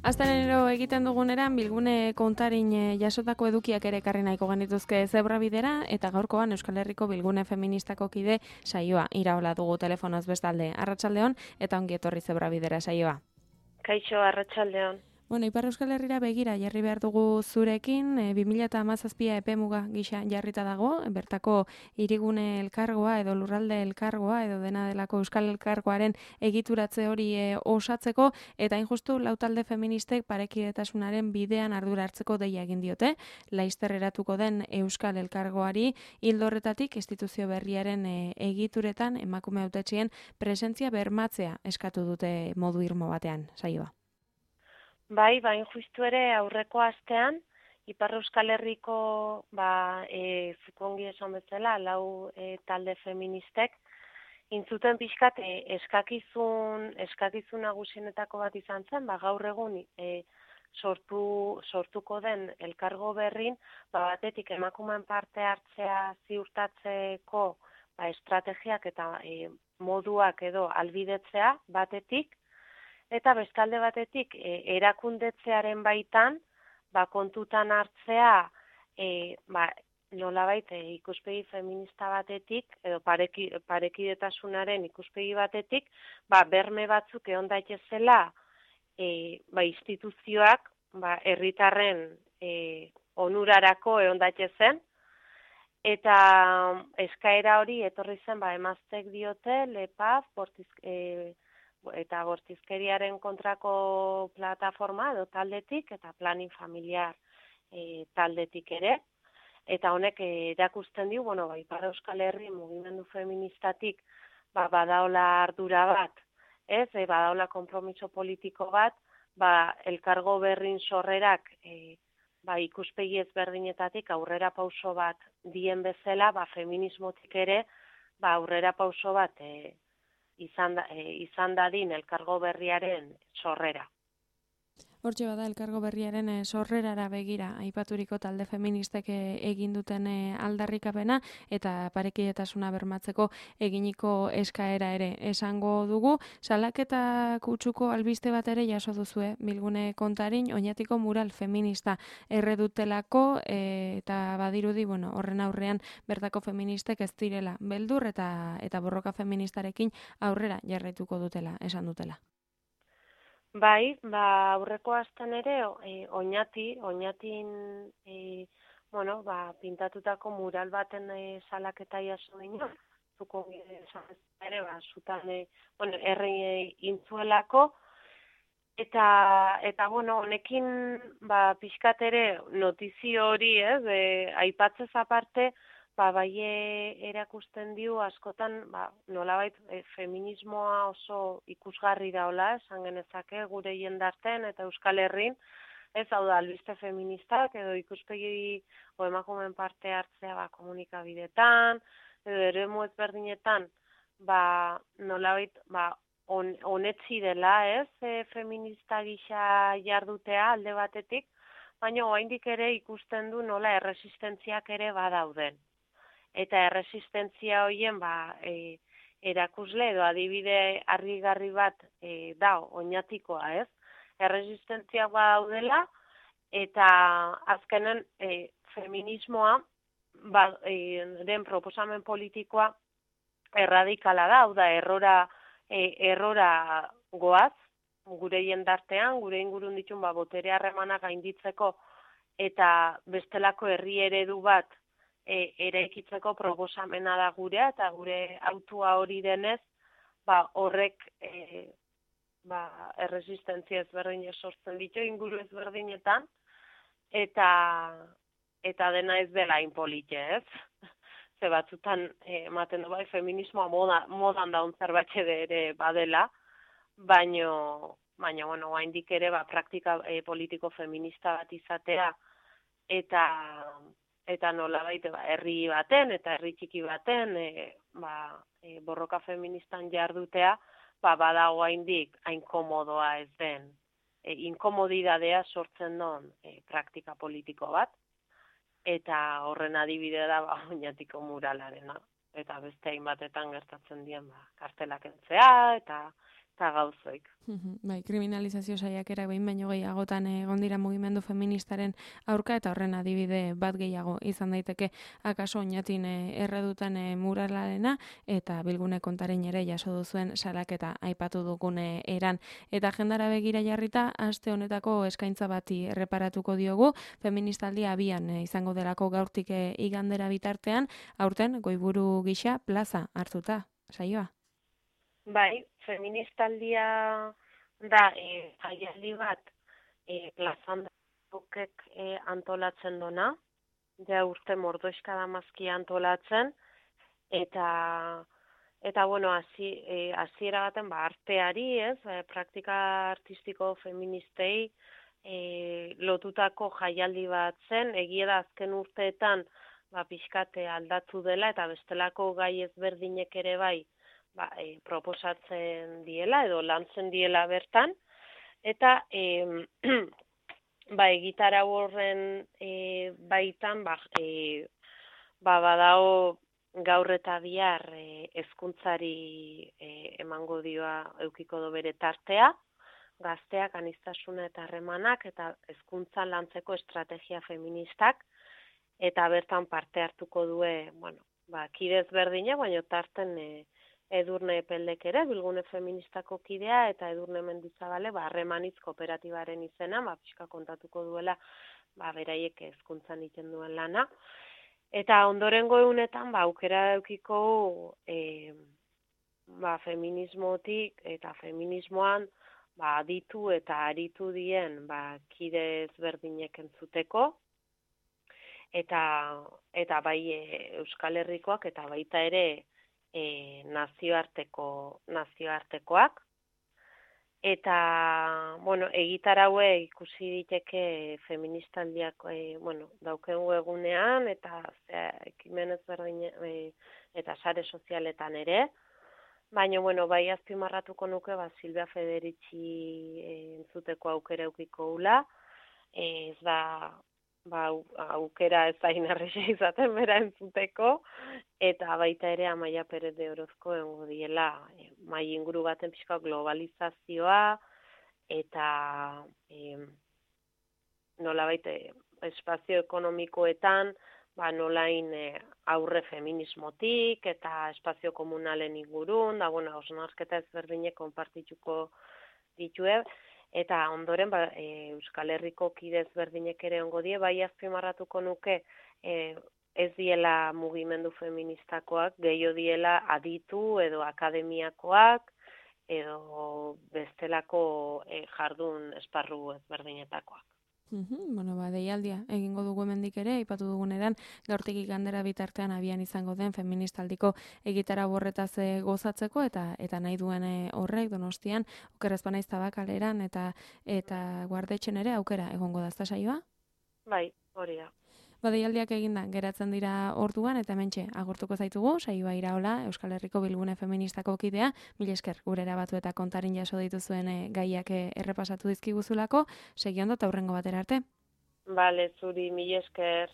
Astenero egiten duguneran bilgune kontarin jasotako edukiak ere ekarri nahiko genituzke Zebrabidera eta gaurkoan Euskal Herriko bilgune feministako kide saioa iraola dugu telefonoz bestalde. Arratsaldeon eta ongi etorri Zebrabidera saioa. Kaixo, arratsaldeon. Bueno, Ipar Euskal Herrira begira jarri behar dugu zurekin, 2017 epemuga gisa jarrita dago, bertako hirigune elkargoa edo lurralde elkargoa edo dena delako Euskal Elkargoaren egituratze hori osatzeko, eta injustu lautalde feministek parekidetasunaren bidean ardura hartzeko deia egin diote, laizter eratuko den Euskal Elkargoari, ildo horretatik instituzio berriaren egituretan emakume hautetsien presentzia bermatzea eskatu dute modu irmo batean, saioa. Bai, justu ere aurreko astean, Ipar Euskal Herriko, zukongi esan bezala, lau talde feministek, intzuten pixkat eskakizun nagusienetako bat izan zen, gaur egun sortuko den elkargo berrin, batetik emakumeen parte hartzea ziurtatzeko estrategiak eta moduak edo albidetzea batetik, eta bestalde batetik erakundetzearen baitan kontutan hartzea nolabait ikuspegi feminista batetik edo parekidetasunaren ikuspegi batetik berme batzuk egon daitezela instituzioak herritarren onurarako egon daitezen, eta eskaera hori etorri zen emaztek diote LEPAF eta bortizkeriaren kontrako plataforma edo taldetik eta planin familiar taldetik ere. Eta honek erakusten dio, Ipar Euskal Herri mugimendu feministatik badaola ardura bat, badaola konpromiso politiko bat, elkargo berrin sorrerak ikuspegi ezberdinetatik aurrera pauso bat dien bezala, feminismotik ere aurrera pauso bat izan dadin elkargo berriaren sorrera. Hortxe bada elkargo berriaren sorrerara begira aipaturiko talde feministek egin duten aldarrikapena eta parekidetasuna bermatzeko eginiko eskaera ere esango dugu. Salaketa kutsuko albiste bat ere jaso duzue bilgune kontarin oinatiko mural feminista erredutelako eta badirudi horren aurrean bertako feministek ez direla beldur eta borroka feministarekin aurrera jarraituko dutela esan dutela. Bai, aurreko astean ere oinatin pintatutako mural baten salaketa jaso ginen, zuko ere zutan herri intzuelako, eta honekin pixkat ere notizio hori, aipatzez aparte, erakusten dio askotan nolabait feminismoa oso ikusgarri daola, esan genezake gure jendarten eta Euskal Herrin, hau da albiste feministak edo ikuspegi emakumeen parte hartzea komunikabidetan, edo eremu ezberdinetan nolabait onetsi dela, feminista gisa jardutea alde batetik, baina oraindik ere ikusten du nola erresistentziak ere badauden. Eta erresistentzia horien erakusle edo adibide argigarri bat da oinatikoa, Erresistentziak badaudela eta azkenen feminismoa den proposamen politikoa erradikala da, hau da errora goaz, gure jendartean, gure ingurun ditun botere harremanak gainditzeko eta bestelako herri eredu bat eraikitzeko proposamena da gurea, eta gure autua hori denez, horrek erresistentzia ezberdinak sortzen ditu inguru ezberdinetan, eta dena ez dela inpolite, Ze batzutan ematen du feminismoa modan daun zerbait ere badela, baina oraindik ere praktika politiko feminista bat izatea eta nolabait herri baten eta herri txiki baten borroka feministan jardutea badago oraindik hain komodoa ez den inkomodidadea sortzen duen praktika politiko bat, eta horren adibide da oinatiko muralarena, eta beste hainbatetan gertatzen dien kartelak entzea eta eta gauzoik. Bai, kriminalizazio saiakerak behin baino gehiagotan egon dira mugimendu feministaren aurka, eta horren adibide bat gehiago izan daiteke akaso oinatin erredutan muralarena, eta Bilgune kontaren ere jaso duzuen salaketa aipatu dugune eran. Eta agendara begira jarrita, aste honetako eskaintza bati erreparatuko diogu, feministaldia abian izango delako gaurtik igandera bitartean, aurten goiburu gisa plaza hartuta, saioa. Bai, feministaldia da jaialdi bat plazan dukek antolatzen dona, ja urte mordoizka damazki antolatzen, eta bueno, hasiera baten arteari, ez, praktika artistiko feministei lotutako jaialdi bat zen, egia da azken urteetan pixkate aldatu dela, eta bestelako gai ezberdinek ere bai, proposatzen diela edo lantzen diela bertan, eta egitarau horren baitan badago gaur eta bihar hezkuntzari emango dioa eukiko do bere tartea, gazteak aniztasuna eta harremanak eta hezkuntzan lantzeko estrategia feministak, eta bertan parte hartuko due, kide ezberdinak, baina tarten Edurne Peldek ere, Bilgune feministako kidea, eta Edurne Mendizabale, harremanitz kooperatibaren izena, pixka kontatuko duela, beraiek hezkuntzan egiten duen lana. Eta ondorengo egunetan, aukera eukiko feminismotik eta feminismoan aditu eta aritu dien kide ezberdinek entzuteko, eta bai Euskal Herrikoak eta baita ere nazioartekoak, eta egitaraue ikusi diteke feministaldiak daukengu egunean, eta ekimen ezberdin eta sare sozialetan ere, baina bai azpimarratuko nuke Silvia Federici entzuteko aukera eukiko ula, ez da aukera ez da inarrixe izaten bera entzuteko, eta baita ere Amaia Perez de Orozko egongo diela mai inguru baten pixka globalizazioa, eta nolabait espazio ekonomikoetan nolain aurre feminismotik eta espazio komunalen ingurun, hausnarketa ezberdinek konpartituko ditue, eta ondoren Euskal Herriko kide ezberdinek ere ongo die, bai azpimarratuko nuke ez diela mugimendu feministakoak, gehiago diela aditu edo akademiakoak, edo bestelako jardun esparru ezberdinetakoak. Deialdia egingo dugu hemendik ere, aipatu duguneran, gaurtik igandera bitartean abian izango den feministaldiko egitara borretaz gozatzeko, eta nahi duen horrek Donostian, Oker ez banaiz Tabakaleran eta Guardetxen ere aukera egongo da, ezta saioa? Bai, hori da. Deialdiak eginda geratzen dira orduan, eta hementxe agurtuko zaitugu, saioa Iraola, Euskal Herriko Bilgune feministako kidea, mila esker gure erabatu eta kontarin jaso dituzuen gaiak errepasatu dizkiguzulako, segi ondo eta hurrengo batera arte. Bale, zuri, mila esker.